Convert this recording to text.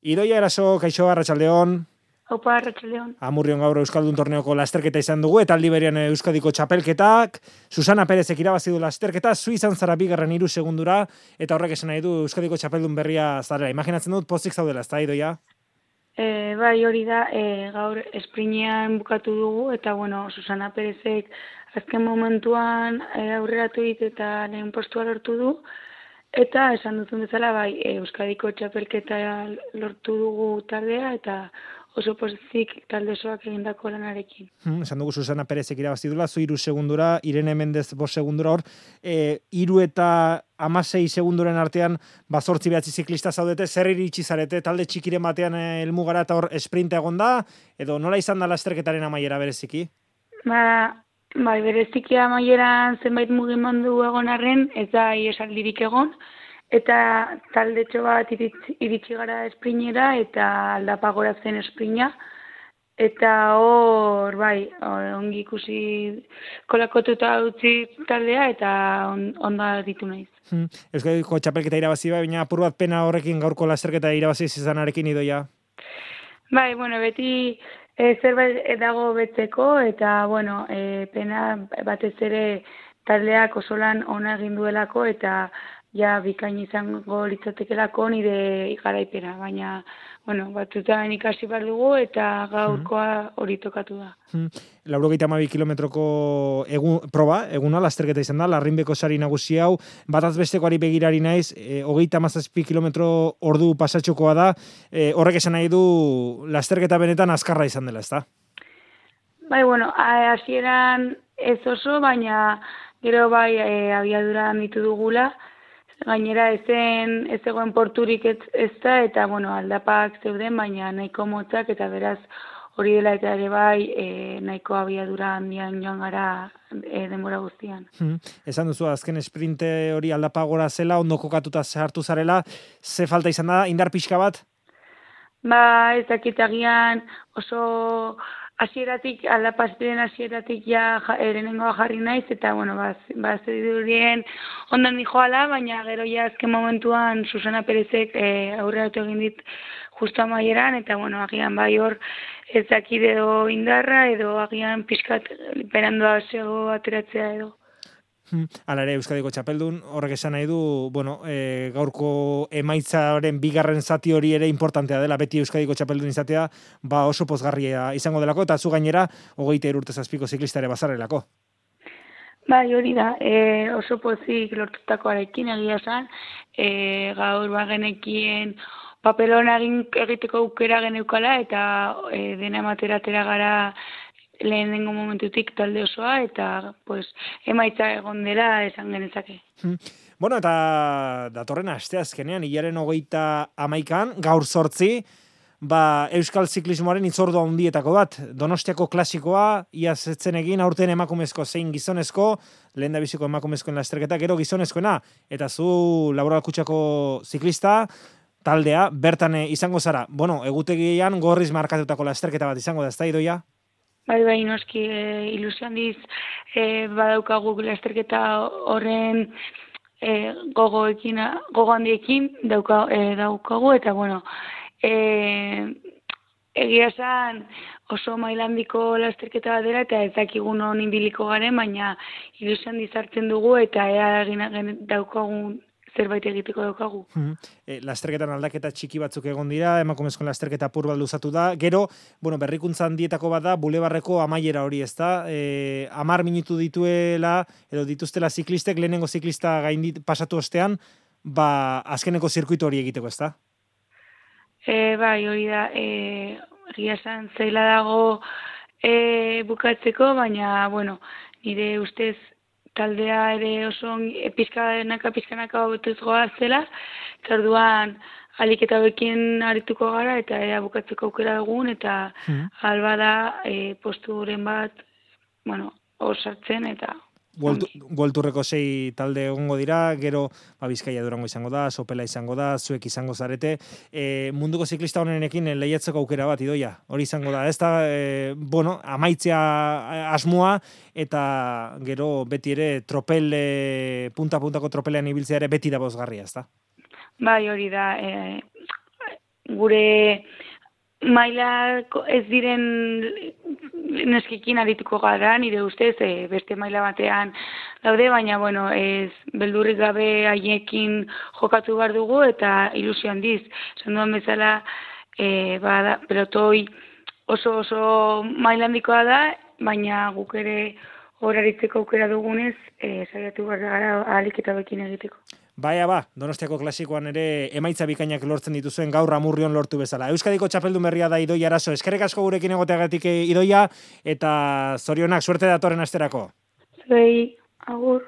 Idoia Eraso, kaixo, arratsaldeon. Opa, arratsaldeon. Amurrion gaur Euskaldun torneoko lasterketa izan dugu, eta aldi berean Euskadiko txapelketak. Susana Perezek irabazi du lasterketa, zu izan zara bigarren 3 segundura, eta horrek esan nahi du Euskadiko txapeldun berria zarela. Imaginatzen dut pozik zaudela, ezta, Idoia? Bai, hori da, gaur esprinean bukatu dugu, eta bueno, Susana Perezek azken momentuan aurreratu dit eta lehen postua lortu du, eta esan duzun bezala, bai, Euskadiko txapelketa lortu dugu taldea, eta oso pozik talde osoak egindako lanarekin. Esan dugu Susana Perezek irabazi dula, zu 3 segundura, Irene Mendez 5 segundura hor, 3 eta 16 segunduren artean, 8-9 ziklista zaudete, zer iritsi zarete, talde txikiren batean helmugara eta hor esprinta egon da, edo nola izan da lasterketaren amaiera bereziki? Bai, bereziki amaieran zenbait mugimendu egon arren, ez da iesaldirik egon, eta taldetxo bat iritsi gara esprinera eta aldapagora zen esprina, eta hor, bai, ongi ikusi kolakotuta utzi taldea eta onda ditu naiz. Euskadiko txapelketa irabazi baina apur bat pena horrekin gaurko lasterketa irabazi izanarekin, Idoia? Bai, bueno, beti zerbait dago betzeko, eta, bueno, pena batez ere taldeak oso lan ona egin duelako, eta ja bikain izango litzatekelako nire garaipena, baina, bueno, batzutan ikasi behar dugu, eta gaurkoa hori tokatu da. 92 kilometroko eguna lasterketa izan da, Larrinbeko sari nagusi hau, bataz bestekoari begirari naiz, 37 kilometro ordu pasatxokoa da, horrek esan nahi du lasterketa benetan azkarra izan dela, ezta? Bai, bueno, hasieran ez oso, baina gero bai abiadura handitu dugula, gainera ez zegoen porturik ez da, eta bueno, aldapak zeuden, baina nahiko motzak, eta beraz hori dela eta ere bai nahiko abiadura handian joan gara denbora guztian. Esan duzu, azken esprinte hori aldapagora zela, ondo kokatuta sartu zarela, ze falta izan da, indar pixka bat? Ba, ez dakit agian oso hasieratik, aldapazten hasieratik ja lehenengoa jarri naiz, eta bueno, zedurien ondan dijoala, baina gero ja azken momentuan Susana Perezek aurreratu egin dit justo amaieran, eta bueno, agian bai hor ez dakit edo indarra, edo agian pixkat berandoa zego ateratzea edo. Hala ere, Euskadiko txapeldun, horrek esan nahi du, bueno, gaurko emaitzaren bigarren zati hori ere importantea dela, beti Euskadiko txapeldun izatea, ba oso pozgarria izango delako, eta zu gainera, 23 urte zazpiko ziklista ere bazarrelako. Bai, hori da, oso pozik lortutakoarekin egia esan, gaur bagenekien papelona egiteko aukera geneukala, eta dena emateratera gara lehenengo momentutik talde osoa, eta pues, emaitza egon dela esan genezake. Bueno, eta datorren asteazkenean, hilaren 31an, gaur 8, Euskal Ziklismoaren hitzordu handietako bat, Donostiako klasikoa, iaz etzen egin, aurten emakumezko zein gizonezko, lehen da biziko emakumezkoen lasterketa, gero gizonezkoena, eta zu Laboral Kutxako ziklista, taldea, bertan izango zara. Bueno, egutegian gorriz markatutako lasterketa bat izango da, ez da, Idoia? Bai, noski, ilusio handiz badaukagu lasterketa horren gogo handiekin daukagu, eta bueno, egia esan oso mailandiko lasterketa bat dela, eta ez dakigu non ibiliko garen, baina ilusio handiz hartzen dugu, eta egin daukagun zerbait egiteko daukagu. Lasterketan aldaketa txiki batzuk egon dira, emakumezkoen lasterketa apur bat luzatu da, gero, bueno, berrikuntza handietako bat da, bulebarreko amaiera hori, ez da, 10 minutu dituela, edo dituztela ziklistek, lehenengo ziklista pasatu ostean, azkeneko zirkuitu hori egiteko, ez da? Bai, hori da, egia esan zaila dago bukatzeko, baina, nire ustez, taldea ere oso pizkanaka hobetuz goaz zela, eta orduan alik eta bekin arituko gara, eta ea bukatzeko aukera dugun, eta alba da posturen bat, bueno, hor sartzen, eta Buelturreko 6 talde egongo dira, gero Bizkaia Durango izango da, Sopela izango da, zuek izango zarete. Munduko ziklista honenekin lehiatzeko aukera bat, Idoia. Hori izango da, ez da, bueno, amaitzea asmoa, eta gero beti ere punta-puntako tropelean ibiltzea ere beti da bozgarria, ez da? Bai, hori da, gure maila ez diren neskikin arituko gara, nire ustez, beste maila batean daude, baina, bueno, ez beldurrik gabe haiekin jokatu behar dugu, eta ilusio handiz. Esan duan bezala, pelotoi oso maila handikoa da, baina guk ere horaritzeko aukera dugunez, saiatu behar gara ahalik eta bekin egiteko. Baina Donostiako klasikoan ere emaitza bikainak lortzen dituzuen gaur Amurrion lortu bezala. Euskadiko txapeldun berria da Idoia Araso. Eskerrik asko gurekin egoteagatik Idoia, eta zorionak, suerte datorren asterako. Zuei, agur.